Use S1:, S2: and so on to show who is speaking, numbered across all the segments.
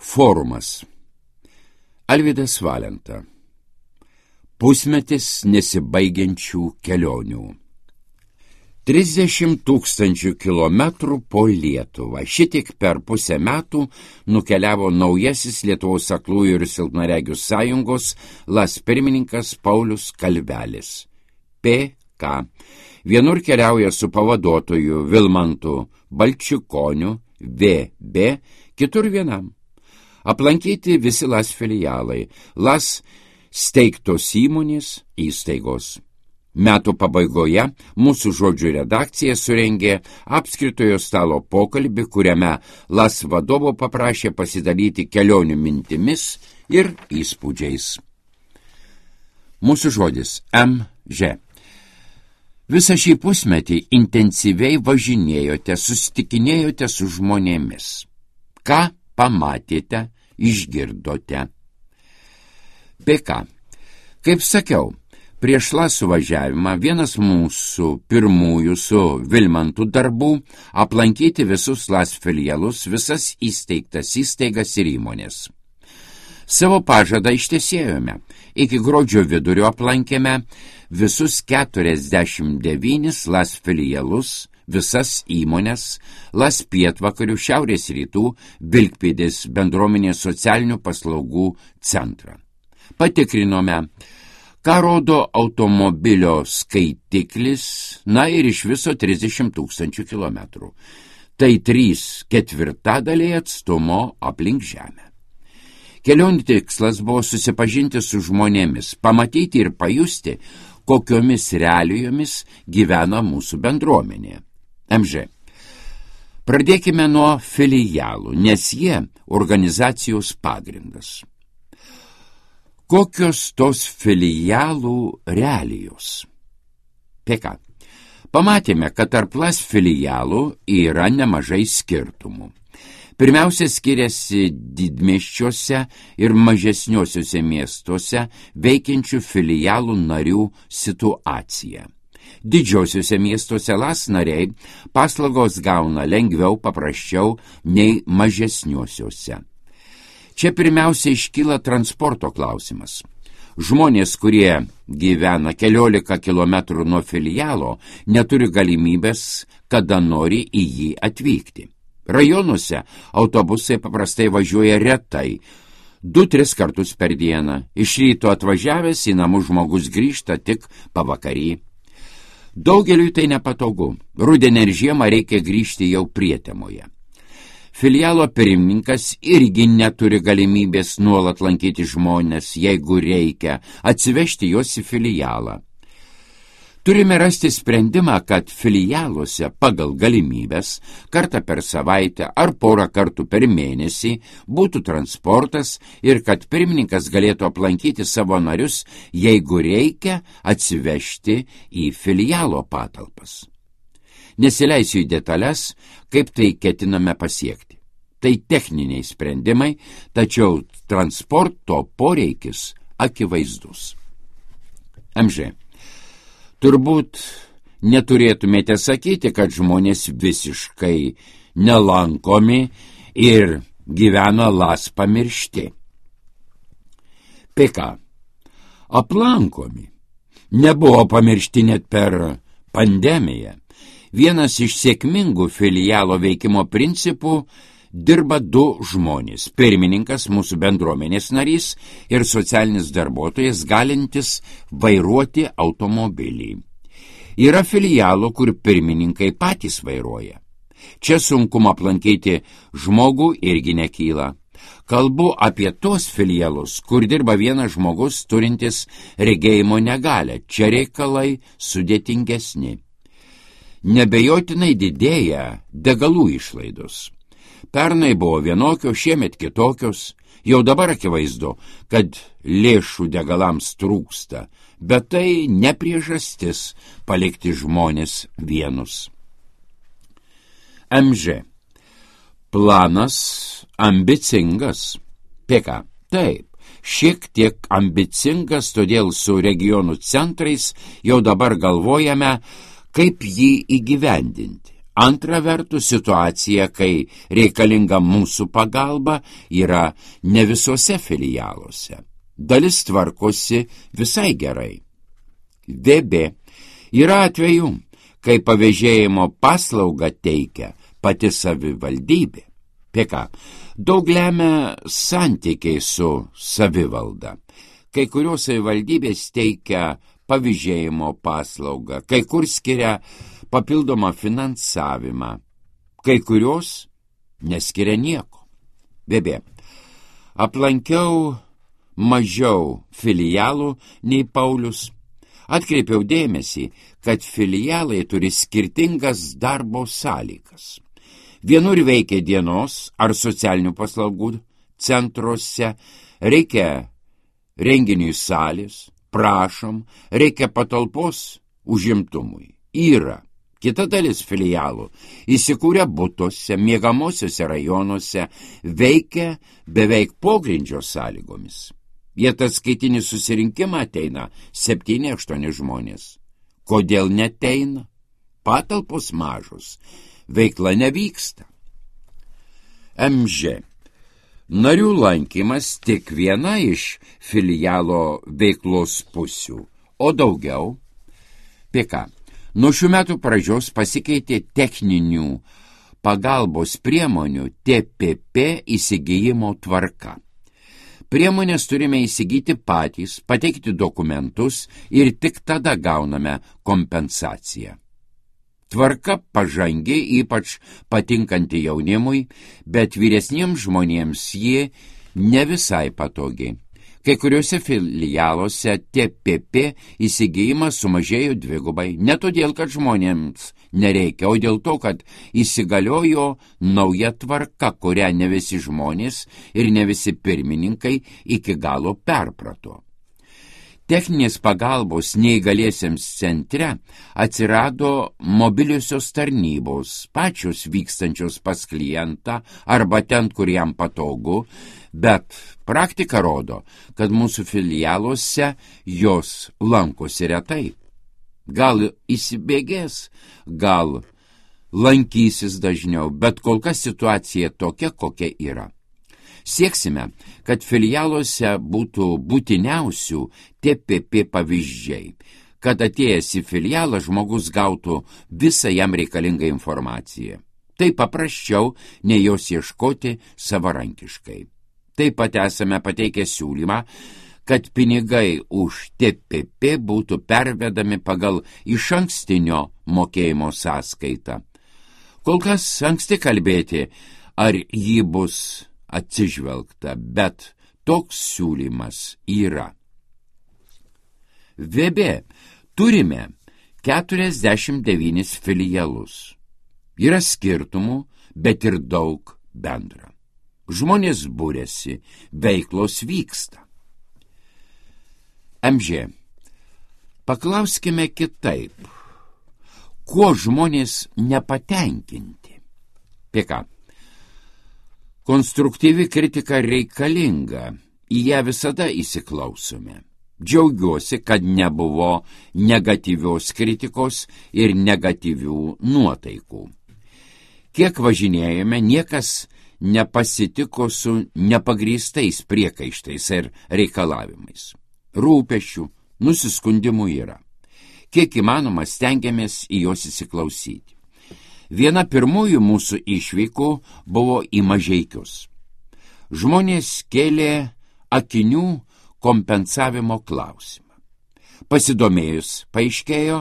S1: Forumas. Alvydas Valenta. Pusmetis nesibaigiančių kelionių. 30 000 kilometrų po Lietuvą. Šitiek per pusę metų nukeliavo naujasis Lietuvos aklųjų ir silpnaregių sąjungos LAS pirmininkas Paulius Kalvelis. PK. Vienur keliauja su pavaduotoju Vilmantu Balčikoniu, VB, kitur vienam. Aplankyti visi LAS filialai, LAS steigtos įstaigos. Metų pabaigoje mūsų žodžių redakcija surengė apskritojo stalo pokalbį, kuriame LAS vadovo paprašė pasidalyti kelionių mintimis ir įspūdžiais. Mūsų žodis MŽ. Visą šį pusmetį intensyviai važinėjote, susitikinėjote su žmonėmis. Ką pamatėte, išgirdote? PK. Kaip sakiau, prieš LAS suvažiavimą vienas mūsų pirmųjų su Vilmantu darbų aplankyti visus LAS filialus, visas įsteigtas įstaigas ir įmonės. Savo pažadą ištesėjome. Iki gruodžio vidurio aplankėme visus 49 LAS filialus, visas įmonės, LAS pietvakarių, šiaurės rytų, Vilkpėdės bendruomenės socialinių paslaugų centrą. Patikrinome, ką rodo automobilio skaitiklis, ir iš viso 30 000 kilometrų. Tai 3/4 atstumo aplink Žemę. Kelionių tikslas buvo susipažinti su žmonėmis, pamatyti ir pajusti, kokiomis realijomis gyvena mūsų bendruomenė. MŽ. Pradėkime nuo filialų, nes jie organizacijos pagrindas. Kokios tos filialų realijos? PK. Pamatėme, kad tarp LAS filialų yra nemažai skirtumų. Pirmiausia, skiriasi didmiesčiuose ir mažesniuosiuose miestuose veikiančių filialų narių situacija. Didžiosiuose miestuose LAS nariai paslaugos gauna lengviau, paprasčiau nei mažesniuosiuose. Čia pirmiausia iškyla transporto klausimas. Žmonės, kurie gyvena 14 kilometrų nuo filialo, neturi galimybės, kada nori į jį atvykti. Rajonuose autobusai paprastai važiuoja retai, 2-3 kartus per dieną. Iš ryto atvažiavęs į namus žmogus grįžta tik pavakarį. Daugeliui tai nepatogu. Rudenį ir žiemą reikia grįžti jau prietemoje. Filialo pirmininkas irgi neturi galimybės nuolat lankyti žmonės, jeigu reikia, atsivežti juos į filialą. Turime rasti sprendimą, kad filialuose pagal galimybės kartą per savaitę ar porą kartų per mėnesį būtų transportas ir kad pirmininkas galėtų aplankyti savo narius, jeigu reikia, atsivežti į filialo patalpas. Nesileisiu į detalės, kaip tai ketiname pasiekti. Tai techniniai sprendimai, tačiau transporto poreikis akivaizdus. MŽ. Turbūt neturėtumėte sakyti, kad žmonės visiškai nelankomi ir gyvena LAS pamiršti. PK. Aplankomi. Nebuvo pamiršti net per pandemiją. Vienas iš sėkmingų filialo veikimo principų dirba 2 žmonės. Pirmininkas, mūsų bendruomenės narys ir socialinis darbuotojas galintis vairuoti automobilį. Yra filialų, kur pirmininkai patys vairuoja. Čia sunkumą aplankyti žmogų irgi nekyla. Kalbu apie tos filialus, kur dirba vienas žmogus turintis regėjimo negalią. Čia reikalai sudėtingesni. Nebejotinai didėja degalų išlaidos. Pernai buvo vienokios, šiemet kitokios. Jau dabar akivaizdu, kad lėšų degalams trūksta, bet tai ne priežastis palikti žmonės vienus. MŽ. Planas ambicingas. PK. Taip, šiek tiek ambicingas, todėl su regionų centrais jau dabar galvojame, kaip jį įgyvendinti. Antra vertus, situacija, kai reikalinga mūsų pagalba, yra ne visose filialuose. Dalis tvarkosi visai gerai. VB. Yra atvejų, kai pavėžėjimo paslaugą teikia pati savivaldybė. PK. Daug lemia santykiai su savivalda. Kai kurios savivaldybės teikia pavėžėjimo paslaugą, kai kur skiria papildomą finansavimą, kai kurios neskiria nieko. VB. Aplankiau mažiau filialų nei Paulius. Atkreipiau dėmesį, kad filialai turi skirtingas darbo sąlygas. Vienur veikia dienos ar socialinių paslaugų centruose, reikia renginiui salės, prašom, reikia patalpos užimtumui. Yra. Kita dalis filialų įsikūrė butuose, miegamosiuose rajonuose, veikia beveik pogrindžio sąlygomis. Į ataskaitinį susirinkimą ateina 7-8 žmonės. Kodėl neteina? Patalpos mažos, veikla nevyksta. MŽ. Narių lankymas tik viena iš filialo veiklos pusių, o daugiau. PK. Nuo šių metų pradžios pasikeitė techninių pagalbos priemonių TPP įsigijimo tvarka. Priemonės turime įsigyti patys, pateikti dokumentus ir tik tada gauname kompensaciją. Tvarka pažangi, ypač patinkanti jaunimui, bet vyresniems žmonėms ji ne visai patogi. Kai kuriuose filialuose TPP įsigijimas sumažėjo 2, ne todėl, kad žmonėms nereikia, o dėl to, kad įsigaliojo nauja tvarka, kurią ne visi žmonės ir ne visi pirmininkai iki galo perprato. Techninės pagalbos neįgaliesiems centre atsirado mobiliosios tarnybos, pačios vykstančios pas klientą arba ten, kur jam patogu, bet praktika rodo, kad mūsų filialuose jos lankosi retai. Gal įsibėgės, gal lankysis dažniau, bet kol kas situacija tokia, kokia yra. Sieksime, kad filialuose būtų būtiniausių TPP pavyzdžiai, kad atėjęs į filialą žmogus gautų visą jam reikalingą informaciją. Tai paprasčiau, nei jos ieškoti savarankiškai. Taip pat esame pateikę siūlymą, kad pinigai už TPP būtų pervedami pagal išankstinio mokėjimo sąskaitą. Kol kas anksti kalbėti, ar jį bus atsižvelgta, bet toks siūlymas yra. VB. Turime 49 filialus. Yra skirtumų, bet ir daug bendra. Žmonės būrėsi, veiklos vyksta. MŽ. Paklauskime kitaip. Kuo žmonės nepatenkinti? PK. Konstruktyvi kritika reikalinga, į ją visada įsiklausome. Džiaugiuosi, kad nebuvo negatyvios kritikos ir negatyvių nuotaikų. Kiek važinėjome, niekas nepasitiko su nepagrįstais priekaištais ir reikalavimais. Rūpesčių, nusiskundimų yra. Kiek įmanoma stengiamės į juos įsiklausyti. Viena pirmųjų mūsų išvykų buvo į Mažeikius. Žmonės kėlė akinių kompensavimo klausimą. Pasidomėjus, paaiškėjo,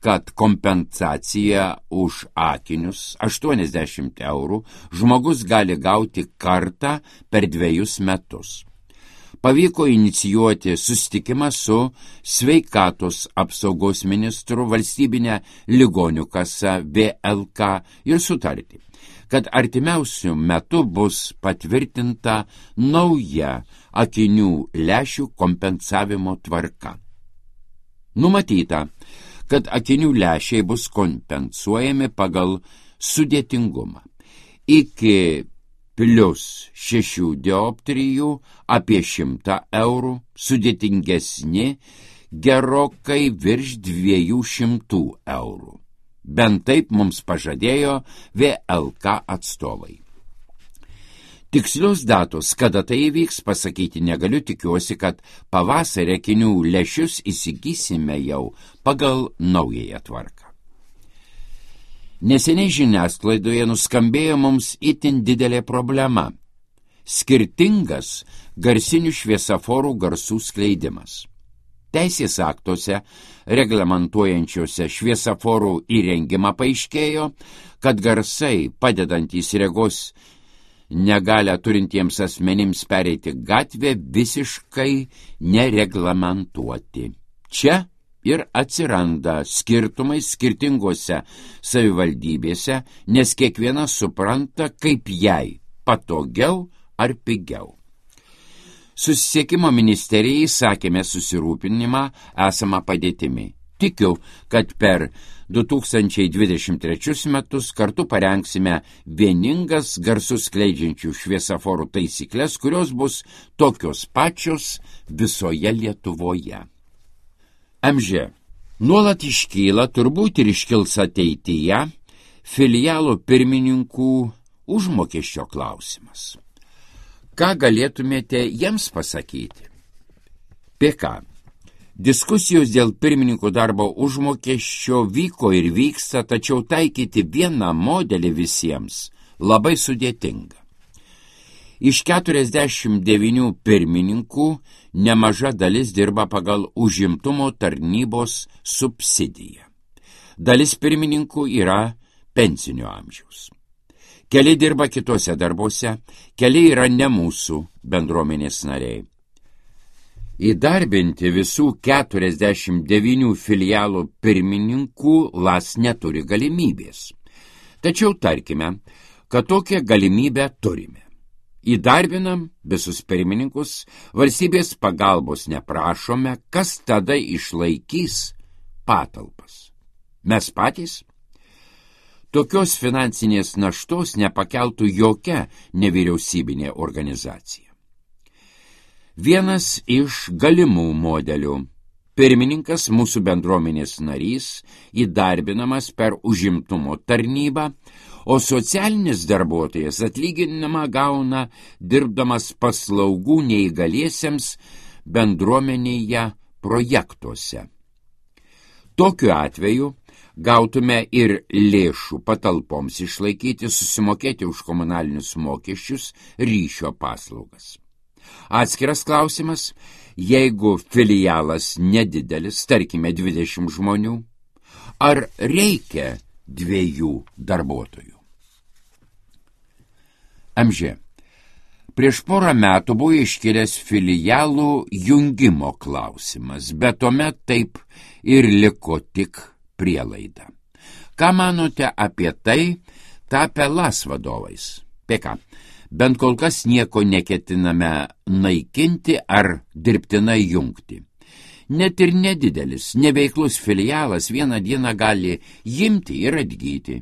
S1: kad kompensacija už akinius 80 eurų žmogus gali gauti kartą per 2 metus. Pavyko inicijuoti susitikimą su sveikatos apsaugos ministru, valstybinė ligonių kasa VLK ir sutarti, kad artimiausių metų bus patvirtinta nauja akinių lęšių kompensavimo tvarka. Numatyta, kad akinių lęšiai bus kompensuojami pagal sudėtingumą. Iki +6 dioptrijų apie 100 eurų, sudėtingesni gerokai virš 200 eurų. Bent taip mums pažadėjo VLK atstovai. Tikslios datos, kada tai įvyks, pasakyti negaliu, tikiuosi, kad pavasarį akinių lęšius įsigysime jau pagal naująją tvarką. Neseniai žiniasklaidoje nuskambėjo mums itin didelė problema – skirtingas garsinių šviesaforų garsų skleidimas. Teisės aktuose, reglamentuojančiuose šviesaforų įrengimą paaiškėjo, kad garsai, padedantys regos negalią turintiems asmenims pereiti gatvę, visiškai nereglamentuoti. Čia ir atsiranda skirtumai skirtingose savivaldybėse, nes kiekviena supranta, kaip jai patogiau ar pigiau. Susisiekimo ministerijai sakėme susirūpinimą esamą padėtimi. Tikiu, kad per 2023 metus kartu parengsime vieningas garsus skleidžiančių šviesaforų taisyklės, kurios bus tokios pačios visoje Lietuvoje. MŽ. Nuolat iškyla, turbūt ir iškils ateityje, filialų pirmininkų užmokesčio klausimas. Ką galėtumėte jiems pasakyti? PK. Diskusijos dėl pirmininkų darbo užmokesčio vyko ir vyksta, tačiau taikyti vieną modelį visiems labai sudėtinga. Iš 49 pirmininkų nemaža dalis dirba pagal užimtumo tarnybos subsidiją. Dalis pirmininkų yra pensinio amžiaus. Keli dirba kitose darbuose, keli yra ne mūsų bendruomenės nariai. Įdarbinti visų 49 filialų pirmininkų LAS neturi galimybės. Tačiau tarkime, kad tokią galimybę turime. Įdarbinam visus pirmininkus, valstybės pagalbos neprašome, kas tada išlaikys patalpas. Mes patys? Tokios finansinės naštos nepakeltų jokia nevyriausybinė organizacija. Vienas iš galimų modelių. Pirmininkas, mūsų bendruomenės narys, įdarbinamas per užimtumo tarnybą, o socialinis darbuotojas atlyginimą gauna dirbdamas paslaugų neįgaliesiems bendruomenėje projektuose. Tokiu atveju gautume ir lėšų patalpoms išlaikyti, susimokėti už komunalinius mokesčius, ryšio paslaugas. Atskiras klausimas, jeigu filialas nedidelis, tarkime 20 žmonių, ar reikia 2 darbuotojų? MŽ. Prieš porą metų buvo iškilęs filialų jungimo klausimas, bet tuomet taip ir liko tik prielaida. Ką manote apie tai, tapę LAS vadovais? PK. Bent kol kas nieko neketiname naikinti ar dirbtinai jungti. Net ir nedidelis, neveiklus filialas vieną dieną gali imti ir atgyti.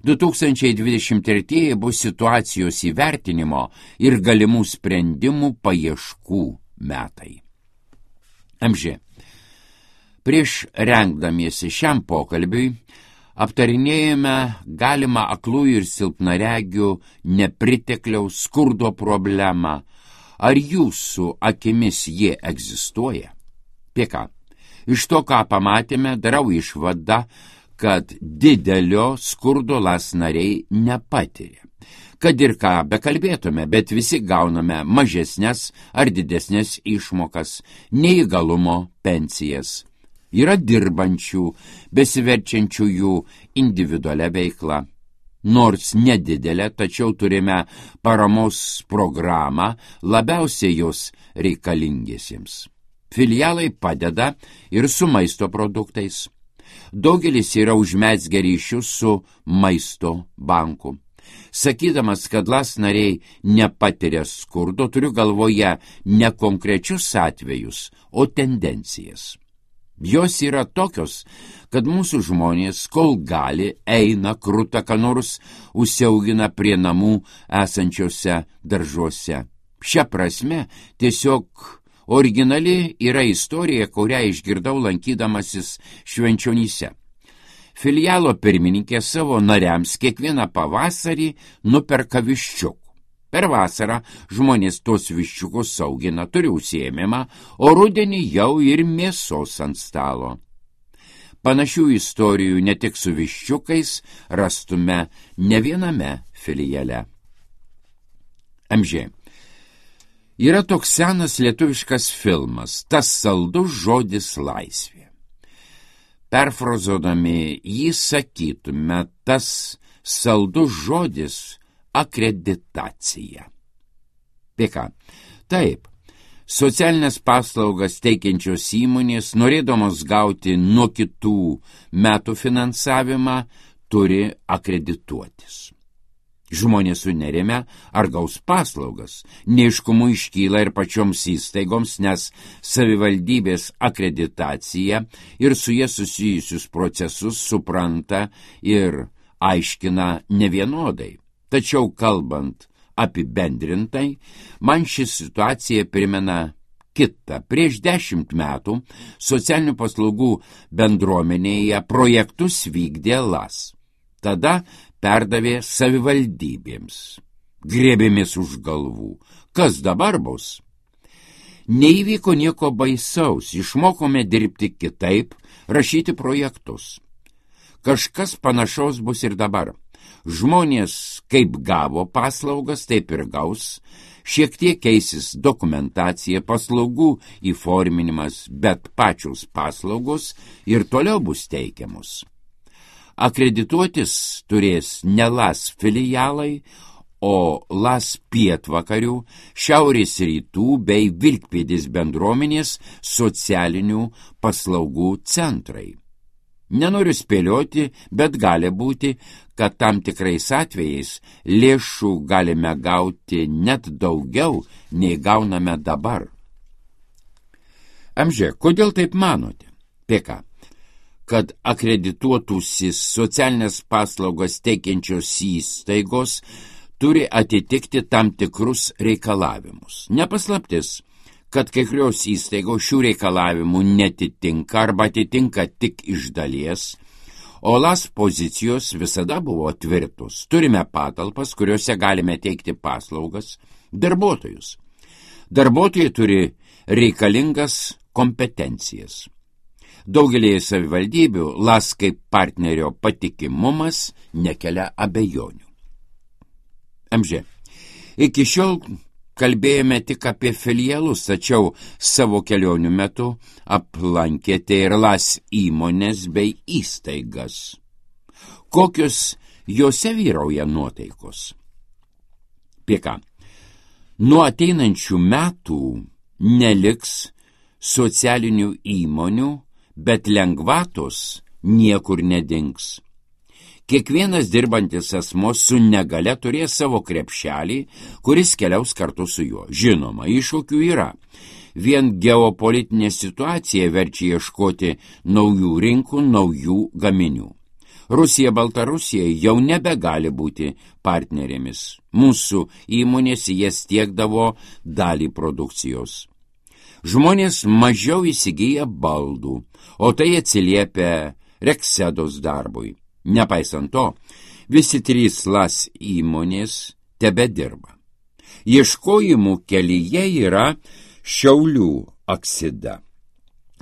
S1: 2023 bus situacijos įvertinimo ir galimų sprendimų paieškų metai. MŽ. Prieš rengdamiesi šiam pokalbiui aptarinėjame galimą aklųjų ir silpnaregių nepritekliaus skurdo problemą. Ar jūsų akimis jie egzistuoja? PK. Iš to, ką pamatėme, darau išvadą, kad didelio skurdo LAS nariai nepatiria. Kad ir ką bekalbėtume, bet visi gauname mažesnės ar didesnės išmokas, neįgalumo pensijas. Yra dirbančių, besiverčiančiųjų individualią veiklą. Nors nedidelę, tačiau turime paramos programą labiausiai jos reikalingiesiems. Filialai padeda ir su maisto produktais. Daugelis yra užmezgę ryšius su maisto banku. Sakydamas, kad LAS nariai nepatiria skurdo, turiu galvoje ne konkrečius atvejus, o tendencijas. Jos yra tokios, kad mūsų žmonės, kol gali, eina kruta, ką nors užsiaugina prie namų esančiose daržuose. Šia prasme, tiesiog originali yra istorija, kurią išgirdau lankydamasis Švenčionyse. Filialo pirmininkė savo nariams kiekvieną pavasarį nuperka viščiukų. Per vasarą žmonės tos viščiukus augina, turi užsiėmimą, o rudenį jau ir mėsos ant stalo. Panašių istorijų ne tik su viščiukais rastume ne viename filiale. MŽ. Yra toks senas lietuviškas filmas, Tas saldus žodis laisvė. Perfrazodami jį sakytume, tas saldus žodis akreditacija. PK. Taip, socialinės paslaugas teikiančios įmonės, norėdamos gauti nuo kitų metų finansavimą, turi akredituotis. Žmonės sunerime, ar gaus paslaugas. Neaiškumų iškyla ir pačioms įstaigoms, nes savivaldybės akreditacija ir su jie susijusius procesus supranta ir aiškina nevienodai. Tačiau kalbant apibendrintai, man ši situacija primena kitą. Prieš 10 metų socialinių paslaugų bendruomenėje projektus vykdė LAS. Tada perdavė savivaldybėms. Griebėmės už galvų. Kas dabar bus? Neįvyko nieko baisaus, išmokome dirbti kitaip, rašyti projektus. Kažkas panašaus bus ir dabar. Žmonės kaip gavo paslaugas, taip ir gaus. Šiek tiek keisis dokumentacija, paslaugų įforminimas, bet pačios paslaugos ir toliau bus teikiamos. Akredituotis turės ne LAS filialai, o LAS pietvakarių, šiaurės rytų bei Vilkpėdės bendruomenės socialinių paslaugų centrai. Nenoriu spėlioti, bet gali būti, kad tam tikrais atvejais lėšų galime gauti net daugiau, nei gauname dabar. MŽ, kodėl taip manote? PK. Kad akredituotųsi socialinės paslaugas teikiančios įstaigos turi atitikti tam tikrus reikalavimus. Nepaslaptis, kad kai kurios įstaigos šių reikalavimų netitinka arba atitinka tik iš dalies, o LAS pozicijos visada buvo tvirtos. Turime patalpas, kuriuose galime teikti paslaugas, darbuotojus. Darbuotojai turi reikalingas kompetencijas. Daugelį savivaldybių LAS kaip partnerio patikimumas nekelia abejonių. MŽ. Iki šiol kalbėjome tik apie filialus, tačiau savo kelionių metu aplankėte ir LAS įmonės bei įstaigas. Kokios jose vyrauja nuotaikos? PK. Nuo ateinančių metų neliks socialinių įmonių, bet lengvatos niekur nedings. Kiekvienas dirbantis asmuo su negale turės savo krepšelį, kuris keliaus kartu su juo. Žinoma, iššūkių yra. Vien geopolitinė situacija verčia ieškoti naujų rinkų, naujų gaminių. Rusija, Baltarusija jau nebegali būti partnerėmis. Mūsų įmonės jas tiekdavo dalį produkcijos. Žmonės mažiau įsigyja baldų, o tai atsiliepia Reksedos darbui. Nepaisant to, visi 3 LAS įmonės tebedirba. Ieškojimų kelyje yra Šiaulių Aksida.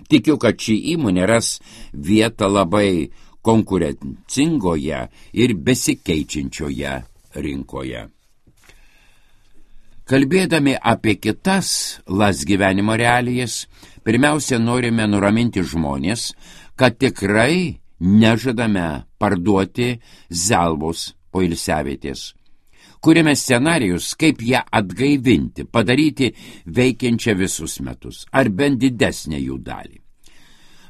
S1: Tikiu, kad ši įmonė ras vietą labai konkurencingoje ir besikeičiančioje rinkoje. Kalbėdami apie kitas LAS gyvenimo realijas, pirmiausia norime nuraminti žmonės, kad tikrai nežadame parduoti Zelvos poilsiavietės. Kuriame scenarijus, kaip ją atgaivinti, padaryti veikiančią visus metus, ar bent didesnę jų dalį.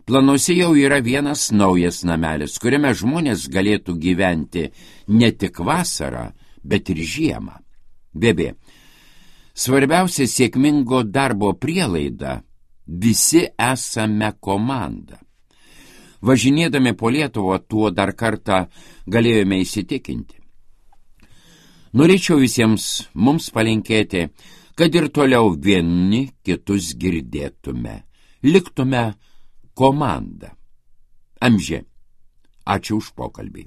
S1: Planuose jau yra vienas naujas namelis, kuriame žmonės galėtų gyventi ne tik vasarą, bet ir žiemą. BB. Svarbiausia sėkmingo darbo prielaida – visi esame komanda. Važinėdami po Lietuvą tuo dar kartą galėjome įsitikinti. Norėčiau visiems mums palinkėti, kad ir toliau vieni kitus girdėtume, liktume komanda. MŽ. Ačiū už pokalbį.